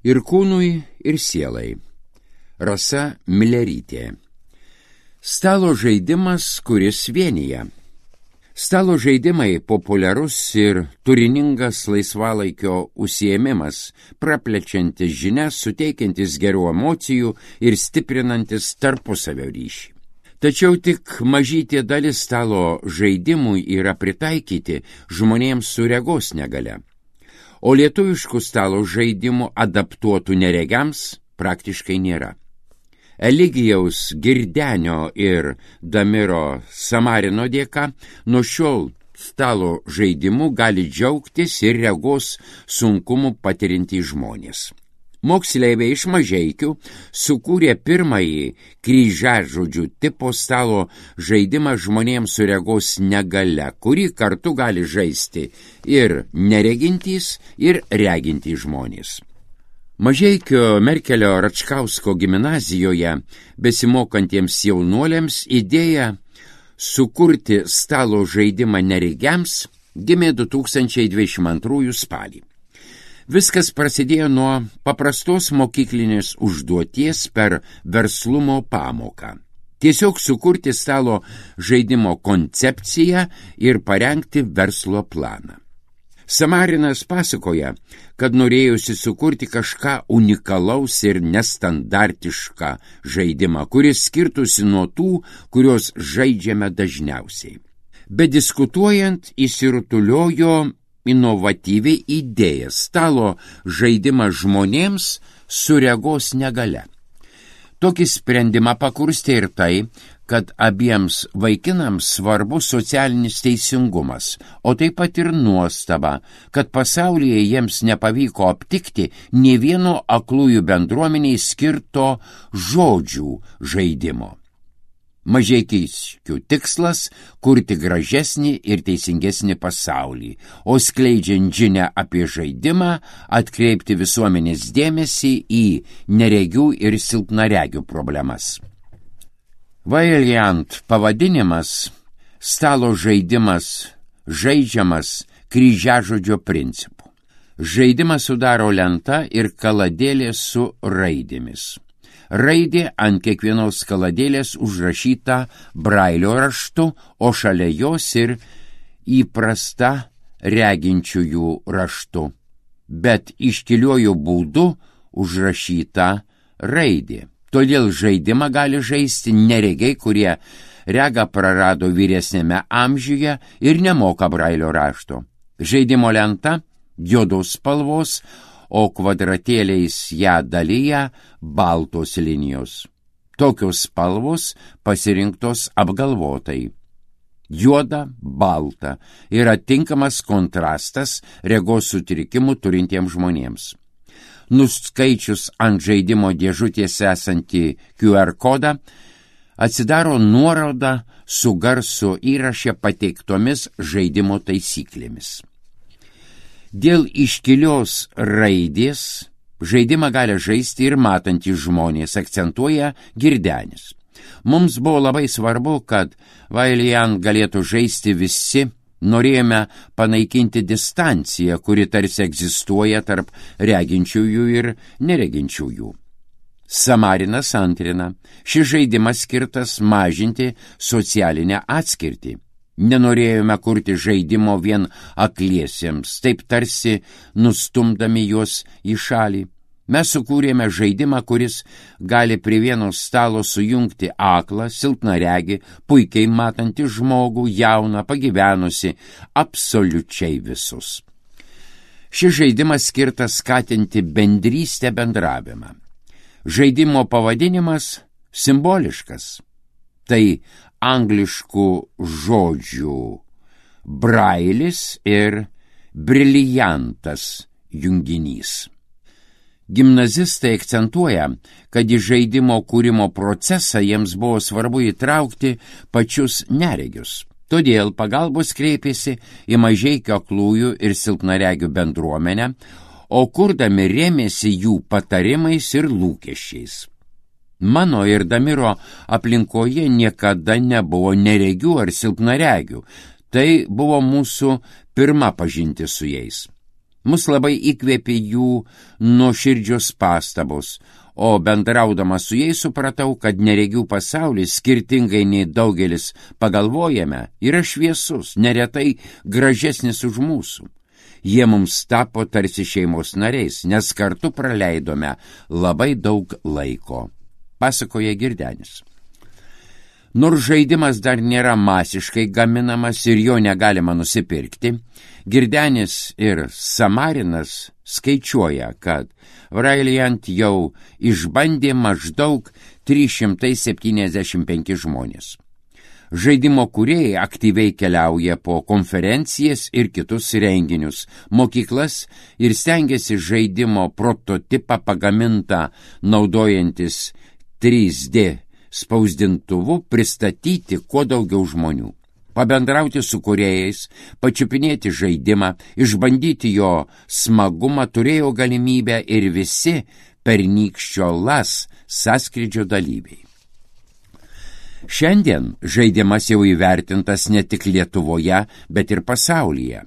Ir kūnui, ir sielai. Rasa Milerytė. Stalo žaidimas, kuris vienija. Stalo žaidimai populiarus ir turiningas laisvalaikio užsiėmimas, praplečiantis žinias, suteikiantis gerų emocijų ir stiprinantis tarpusavio ryšį. Tačiau tik mažytė dalis stalo žaidimų yra pritaikyti žmonėms su regos negalia, o lietuviškų stalo žaidimų adaptuotų neregiams praktiškai nėra. Eligijaus Girdenio ir Damiro Samarino dėka nuo šiol stalo žaidimu gali džiaugtis ir regos sunkumų patirintys žmonės. Moksleiviai iš Mažeikių sukūrė pirmąjį kryžiažodžių tipo stalo žaidimą žmonėms su regos negalia, kurį kartu gali žaisti ir neregintys, ir regintys žmonės. Mažeikio Merkelio Račkausko gimnazijoje besimokantiems jaunuoliams idėja sukurti stalo žaidimą neregiams gimė 2022 spalį. Viskas prasidėjo nuo paprastos mokyklinės užduoties per verslumo pamoką. Tiesiog sukurti stalo žaidimo koncepciją ir parengti verslo planą. Samarinas pasakoja, kad norėjusi sukurti kažką unikalaus ir nestandartišką žaidimą, kuris skirtųsi nuo tų, kuriuos žaidžiame dažniausiai. Bediskutuojant įsirutuliojo inovatyvi idėja stalo žaidimą žmonėms su regos negalia. Tokį sprendimą pakurstė ir tai, kad abiems vaikinams svarbu socialinis teisingumas, o taip pat ir nuostaba, kad pasaulyje jiems nepavyko aptikti nė vieno aklųjų bendruomeniai skirto žodžių žaidimo. Mažeikiškių tikslas – kurti gražesnį ir teisingesnį pasaulį, o skleidžiant žinią apie žaidimą, atkreipti visuomenės dėmesį į neregių ir silpnaregių problemas. Variant pavadinimas – stalo žaidimas žaidžiamas kryžiažodžio principu. Žaidimą sudaro lenta ir kaladėlė su raidėmis. Raidė ant kiekvienos kaladėlės užrašyta brailio raštu, o šalia jos ir įprasta reginčiųjų raštu, bet iškiliuoju būdu užrašyta raidė. Todėl žaidimą gali žaisti neregiai, kurie regą prarado vyresnėme amžiuje ir nemoka brailio rašto. Žaidimo lenta juodos spalvos, o kvadratėliais ją dalyja baltos linijos. Tokios spalvos pasirinktos apgalvotai. Juoda, balta yra tinkamas kontrastas regos sutrikimų turintiems žmonėms. Nuskaičius ant žaidimo dėžutės esantį QR kodą, atsidaro nuoroda su garso įraše pateiktomis žaidimo taisyklėmis. Dėl iškilios raidės žaidimą gali žaisti ir matantys žmonės, akcentuoja Girdenis. Mums buvo labai svarbu, kad Vailian galėtų žaisti visi. Norėjome panaikinti distanciją, kuri tarsi egzistuoja tarp reginčiųjų ir nereginčiųjų. Samarinas antrina, šis žaidimas skirtas mažinti socialinę atskirtį. Nenorėjome kurti žaidimo vien akliesiems, taip tarsi nustumdami juos į šalį. Mes sukūrėme žaidimą, kuris gali prie vieno stalo sujungti aklą, silpnaregį, puikiai matantį žmogų, jauną, pagyvenusi, absoliučiai visus. Šis žaidimas skirtas skatinti bendrystę bendravimą. Žaidimo pavadinimas simboliškas. Tai angliškų žodžių brailis ir briliantas junginys. Gimnazistai akcentuoja, kad į žaidimo kūrimo procesą jiems buvo svarbu įtraukti pačius neregius. Todėl pagalbos kreipėsi į Mažeikio aklųjų ir silpnaregių bendruomenę, o kurdami rėmėsi jų patarimais ir lūkesčiais. Mano ir Damiro aplinkoje niekada nebuvo neregių ar silpnaregių. Tai buvo mūsų pirma pažintis su jais. Mus labai įkvėpė jų nuoširdžios pastabos, o bendraudamas su jais supratau, kad neregių pasaulis, skirtingai nei daugelis pagalvojame, yra šviesus, neretai gražesnis už mūsų. Jie mums tapo tarsi šeimos nariais, nes kartu praleidome labai daug laiko, pasakoja Girdenis. Nors žaidimas dar nėra masiškai gaminamas ir jo negalima nusipirkti, Girdenis ir Samarinas skaičiuoja, kad Valiant jau išbandė maždaug 375 žmonės. Žaidimo kūrėjai aktyviai keliauja po konferencijas ir kitus renginius, mokyklas ir stengiasi žaidimo prototipą pagamintą naudojantis 3D spausdintuvu pristatyti kuo daugiau žmonių. Pabendrauti su kūrėjais, pačiupinėti žaidimą, išbandyti jo smagumą turėjo galimybę ir visi pernykščio LAS sąskrydžio dalyviai. Šiandien žaidimas jau įvertintas ne tik Lietuvoje, bet ir pasaulyje.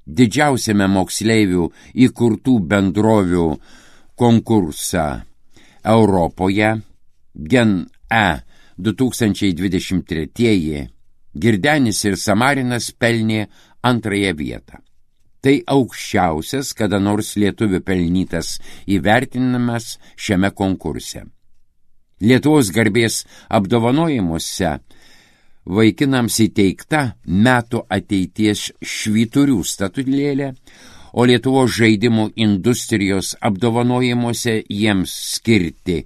Didžiausiame moksleivių įkurtų bendrovių konkursą Europoje, Gen-E 2023 Girdenis ir Samarinas pelnė antrąją vietą. Tai aukščiausias kada nors lietuvių pelnytas įvertinimas šiame konkurse. Lietuvos garbės apdovanojimuose vaikinams įteikta metų ateities švyturių statulėlė, o Lietuvos žaidimų industrijos apdovanojimuose jiems skirti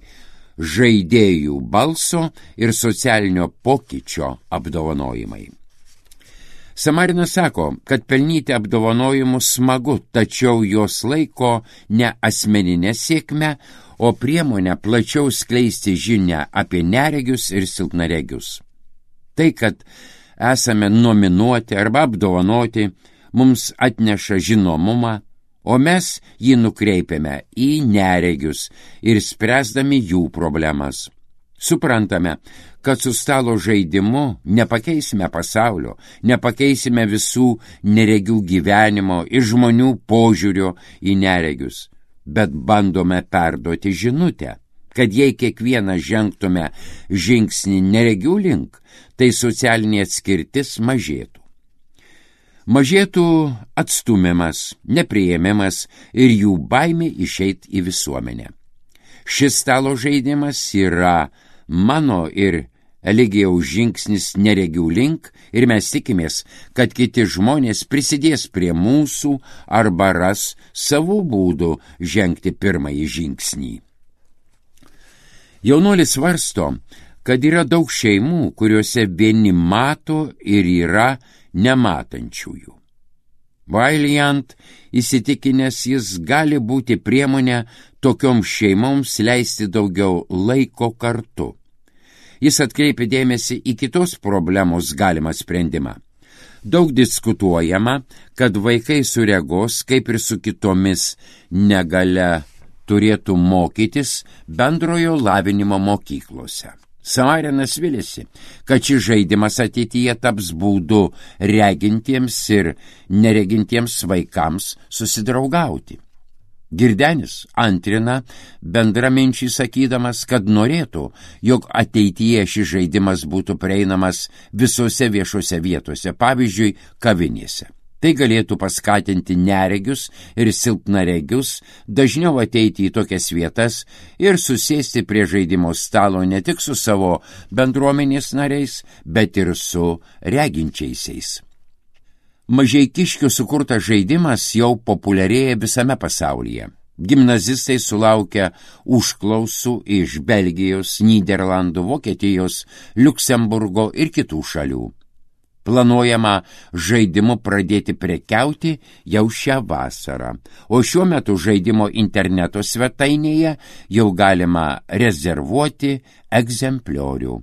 žaidėjų balso ir socialinio pokyčio apdovanojimai. Samarinas sako, kad pelnyti apdovanojimus smagu, tačiau jos laiko ne asmeninę sėkmę, o priemonę plačiau skleisti žinią apie neregius ir silpnaregius. Tai, kad esame nominuoti arba apdovanoti, mums atneša žinomumą, o mes jį nukreipiame į neregius ir spręsdami jų problemas. Suprantame, kad su stalo žaidimu nepakeisime pasaulio, nepakeisime visų neregių gyvenimo ir žmonių požiūrio į neregius, bet bandome perduoti žinutę, kad jei kiekvieną žengtume žingsnį neregių link, tai socialinė atskirtis mažėtų. Mažėtų atstumimas, nepriėmimas ir jų baimė išeit į visuomenę. Šis stalo žaidimas yra mano ir Eligijaus žingsnis neregių link ir mes tikimės, kad kiti žmonės prisidės prie mūsų arba ras savų būdų žengti pirmąjį žingsnį. Jaunuolis svarsto, kad yra daug šeimų, kuriuose vieni mato ir yra nematančiųjų. Valiant įsitikinęs, jis gali būti priemonė tokioms šeimoms leisti daugiau laiko kartu. Jis atkreipia dėmesį į kitos problemos galimą sprendimą. Daug diskutuojama, kad vaikai su regos, kaip ir su kitomis negalia, turėtų mokytis bendrojo lavinimo mokyklose. Samarinas vilėsi, kad šis žaidimas ateityje taps būdu regintiems ir neregintiems vaikams susidraugauti. Girdenis antrina bendraminčiai sakydamas, kad norėtų, jog ateityje šis žaidimas būtų prieinamas visose viešose vietose, pavyzdžiui, kavinėse. Tai galėtų paskatinti neregius ir silpnaregius dažniau ateiti į tokias vietas ir susėsti prie žaidimo stalo ne tik su savo bendruomenės nariais, bet ir su reginčiaisiais. Mažeikiškių sukurtas žaidimas jau populiarėja visame pasaulyje. Gimnazistai sulaukia užklausų iš Belgijos, Nyderlandų, Vokietijos, Liuksemburgo ir kitų šalių. Planuojama žaidimu pradėti prekiauti jau šią vasarą, o šiuo metu žaidimo interneto svetainėje jau galima rezervuoti egzempliorių.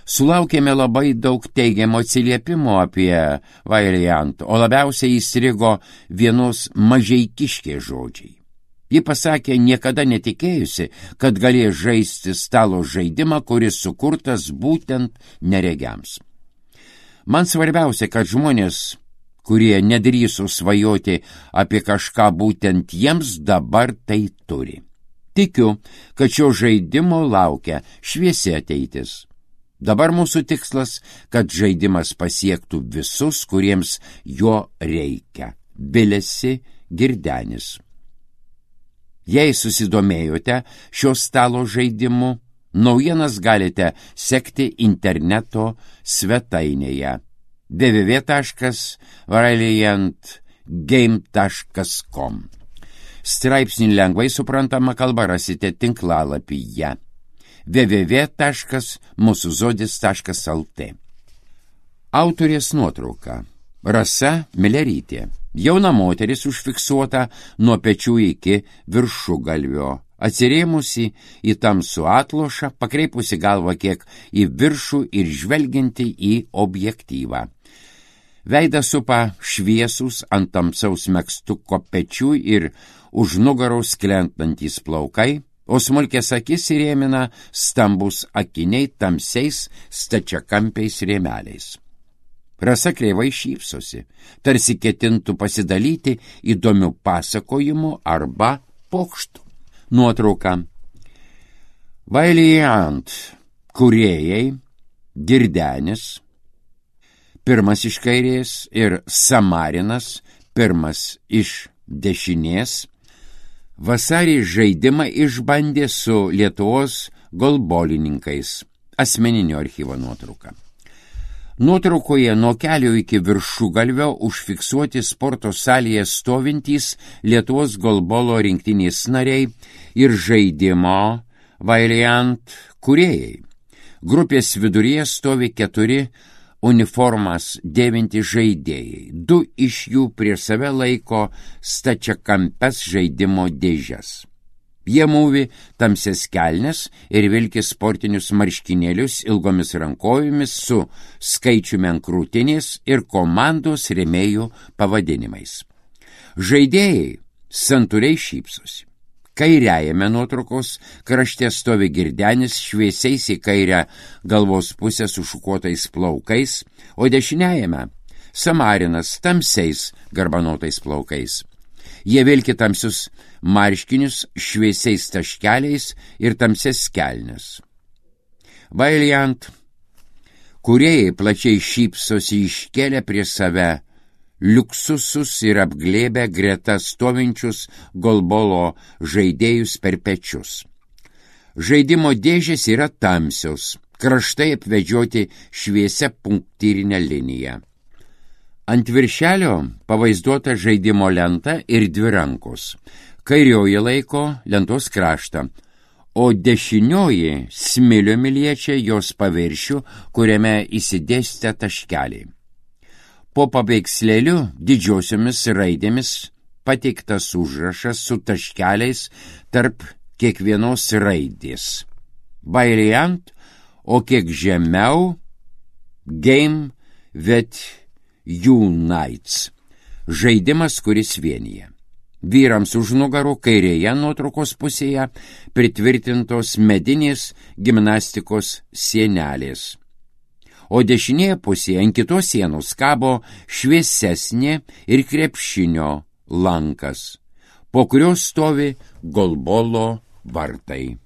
Sulaukėme labai daug teigiamo atsiliepimo apie Valiant, o labiausiai įstrigo vienos mažeikiškės žodžiai. Ji pasakė, niekada netikėjusi, kad galės žaisti stalo žaidimą, kuris sukurtas būtent neregiams. Man svarbiausia, kad žmonės, kurie nedrįso svajoti apie kažką būtent jiems, dabar tai turi. Tikiu, kad šio žaidimo laukia šviesi ateitis. Dabar mūsų tikslas, kad žaidimas pasiektų visus, kuriems jo reikia. Bilesi Girdenis. Jei susidomėjote šio stalo žaidimu, naujienas galite sekti interneto svetainėje www.valiantgame.com. Straipsnį lengvai suprantama kalba rasite tinklalapyje www.musuzodis.lt. Autorės nuotrauka. Rasa Milerytė. Jauna moteris užfiksuota nuo pečių iki viršugalvio, atsirėmusi į tamsų atlošą, pakreipusi galvą kiek į viršų ir žvelgianti į objektyvą. Veidą supa šviesus ant tamsaus megztuko pečių ir už nugaros krentantys plaukai, o smulkės akis įrėmina stambus akiniai tamsiais stačiakampiais rėmeliais. Rasa kreivai šypsosi, tarsi ketintų pasidalyti įdomių pasakojimų arba pokštų. Nuotrauka. Valiant kūrėjai Girdenis, pirmas iš kairės, ir Samarinas, pirmas iš dešinės, vasarį žaidimą išbandė su Lietuvos golbolininkais. Asmeninio archyvo nuotrauka. Nuotraukoje nuo kelio iki viršugalvio užfiksuoti sporto salėje stovintys Lietuvos golbolo rinktinės nariai ir žaidimo Valiant kūrėjai. Grupės viduryje stovi 4 uniformas dėvinti žaidėjai. 2 iš jų prie save laiko stačiakampes žaidimo dėžes. Jie mūvi tamsias kelnes ir vilki sportinius marškinėlius ilgomis rankojomis su skaičiumi ant krūtinės ir komandos rėmėjų pavadinimais. Žaidėjai santūriai šypsosi. Kairiajame nuotraukos krašte stovi Girdenis šviesiais į kairę galvos pusę sušukuotais plaukais, o dešiniajame Samarinas tamsiais garbanotais plaukais. Jie vilki tamsius marškinius šviesiais taškeliais ir tamsias kelnes. Valiant kūrėjai plačiai šypsosi iškėlę prie save liuksusus ir apglėbę greta stovinčius golbolo žaidėjus per pečius. Žaidimo dėžės yra tamsios, kraštai apvedžioti šviesia punktyrinė linija. Ant viršelio pavaizduota žaidimo lenta ir 2 rankos. Kairioji laiko lentos kraštą, o dešinioji smiliumi liečia jos paviršių, kuriame įsidėstę taškeliai. Po paveikslėliu didžiosiomis raidėmis pateiktas užrašas su taškeliais tarp kiekvienos raidės. Valiant, o kiek žemiau Game with Unites. Žaidimas, kuris vienyje. Vyrams už nugarų kairėje nuotraukos pusėje pritvirtintos medinės gimnastikos sienelės. O dešinėje pusėje ant kitos sienos kabo šviesesnė ir krepšinio lankas, po kurio stovi golbolo vartai.